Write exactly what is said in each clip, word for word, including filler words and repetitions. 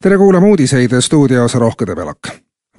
Tere kuulama uudiseid stuudios Rohke Debelak.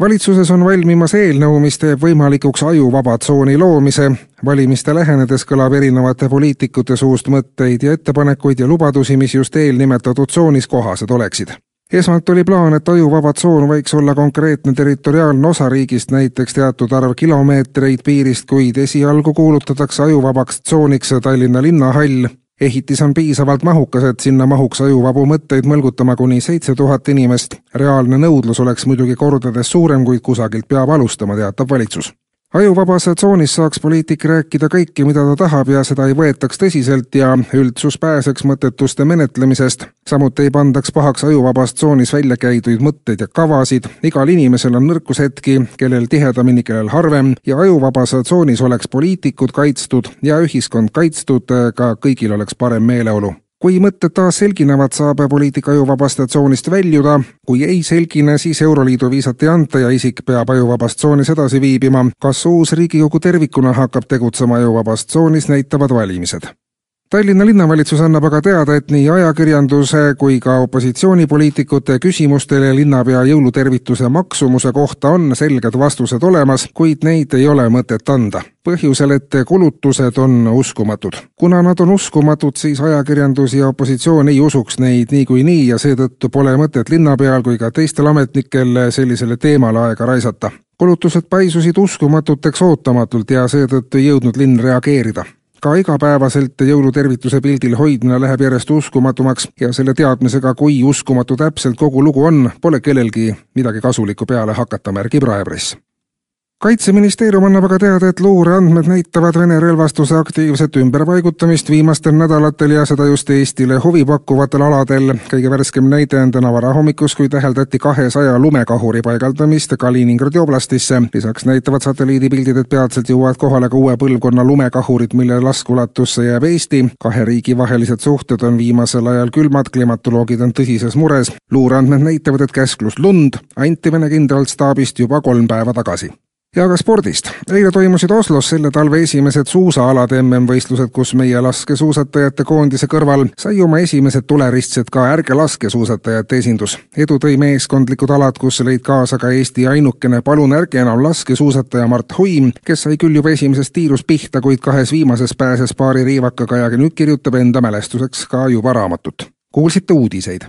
Valitsuses on valmimas eelnõu, mis teeb võimalikuks ajuvaba tsooni loomise. Valimiste lähenedes kõlab erinevate poliitikute suust mõtteid ja ettepanekuid ja lubadusi, mis just eelnimetatud tsoonis kohased oleksid. Esmalt oli plaan, et ajuvaba tsoon võiks olla konkreetne territoriaalne osa riigist, näiteks teatud arv kilomeetreid piirist, kuid esialgu kuulutatakse ajuvabaks tsooniks Tallinna linnahall. Ehitis on piisavalt mahukas, et sinna mahuks ajuvabu mõtteid mõlgutama kuni seitse tuhat inimest. Reaalne nõudlus oleks muidugi kordades suurem, kuid kusagilt peab alustama, teatab valitsus. Ajuvabas tsoonis saaks poliitik rääkida kõike, mida ta tahab ja seda ei võetaks tõsiselt ja üldsus pääseks mõttetuste menetlemisest. Samuti ei pandaks pahaks ajuvabas tsoonis välja käiduid mõtteid ja kavasid. Igal inimesel on nõrkushetki, kellel tihedamini, kellel harvem ja ajuvabas tsoonis oleks poliitikud kaitstud ja ühiskond kaitstud, ka kõigil oleks parem meeleolu. Kui mõtted taas selginevad, saab poliitika ajuvabast tsoonist väljuda. Kui ei selgine, siis Euroliidu viisat ei anta ja isik peab ajuvabast tsoonis edasi viibima. Kas uus Riigikogu tervikuna hakkab tegutsema ajuvabast tsoonis, näitavad valimised. Tallinna linnavalitsus annab aga teada, et nii ajakirjanduse kui ka opositsioonipoliitikute küsimustele linnapea jõulutervituse maksumuse kohta on selged vastused olemas, kuid neid ei ole mõtet anda. Põhjusel, et kulutused on uskumatud. Kuna nad on uskumatud, siis ajakirjandus ja opositsioon ei usuks neid nii kui nii ja seetõttu pole mõtet linnapeal kui ka teistel ametnikel sellisele teemale aega raisata. Kulutused paisusid uskumatuteks ootamatult ja seetõttu ei jõudnud linn reageerida. Ka igapäevaselt jõulutervituse pildil hoidmine läheb järjest uskumatumaks ja selle teadmisega, kui uskumatu täpselt kogu lugu on, pole kellelgi midagi kasulikku peale hakata, märgib Raepress. Kaitseministeerium annab aga teada, et luureandmed näitavad Vene relvastuse aktiivset ümberpaigutamist viimastel nädalatel ja seda just Eestile huvi pakkuvatel aladel. Kõige värskem näide on täna varahommikus, kui täheldati kahesaja lumekahuri paigaldamist Kaliningradi oblastisse. Lisaks näitavad satelliidipildid, et peatselt jõuavad kohale ka uue põlvkonna lumekahurid, mille laskulatusse jääb Eesti. Kahe riigi vahelised suhted on viimasel ajal külmad, klimatoloogid on tõsises mures. Luureandmed näitavad, et käsklus lund anti Vene kindralstaabist juba kolm päeva tagasi. Ja ka spordist. Eile toimusid Oslos selle talve esimesed suusaalade M M-võistlused, kus meie laskesuusatajate koondise kõrval sai oma esimesed tuleristsed ka ärge laskesuusatajate esindus. Edu tõi meeskondlikud alad, kus lõid kaasa ka Eesti ainukene palun ärge enam laskesuusataja Mart Huim, kes sai küll juba esimeses tiirus pihta, kuid kahes viimases pääses paari riivakaga ja nüüd kirjutab enda mälestuseks ka juba raamatut. Kuulsite uudiseid.